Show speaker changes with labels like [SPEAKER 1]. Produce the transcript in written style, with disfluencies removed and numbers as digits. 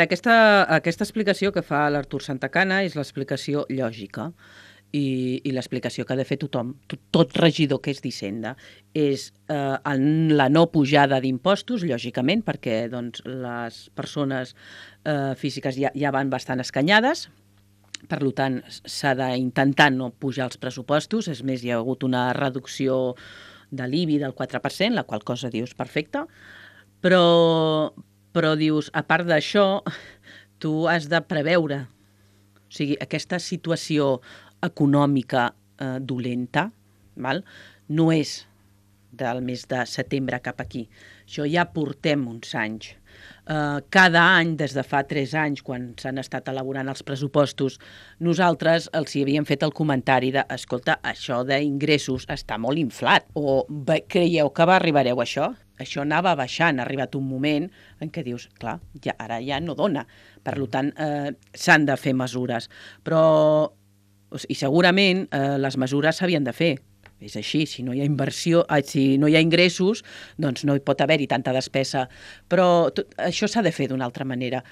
[SPEAKER 1] Aquesta explicació que fa l'Artur Santacana és l'explicació lògica i l'explicació que ha de fer tothom, tot regidor que és d'Hisenda. És la no pujada d'impostos, lògicament, perquè doncs, les persones físiques ja van bastant escanyades, per tant, s'ha d'intentar no pujar els pressupostos. És més, hi ha hagut una reducció de l'IBI del 4%, la qual cosa dius perfecte, però dius, a part d'això, tu has de preveure. O sigui, aquesta situació econòmica dolenta, no és del mes de setembre cap aquí. Això ja portem uns anys. Cada any, des de fa 3 anys, quan s'han estat elaborant els pressupostos, nosaltres els hi havíem fet el comentari de, escolta, això d'ingressos està molt inflat, o creieu que arribareu a això? Això anava baixant, ha arribat un moment en què dius, clar, ara ja no dona. Per tant, s'han de fer mesures. I segurament les mesures s'havien de fer. És així, si no hi ha inversió, si no hi ha ingressos, doncs no hi pot haver-hi tanta despesa. Però això s'ha de fer d'una altra manera.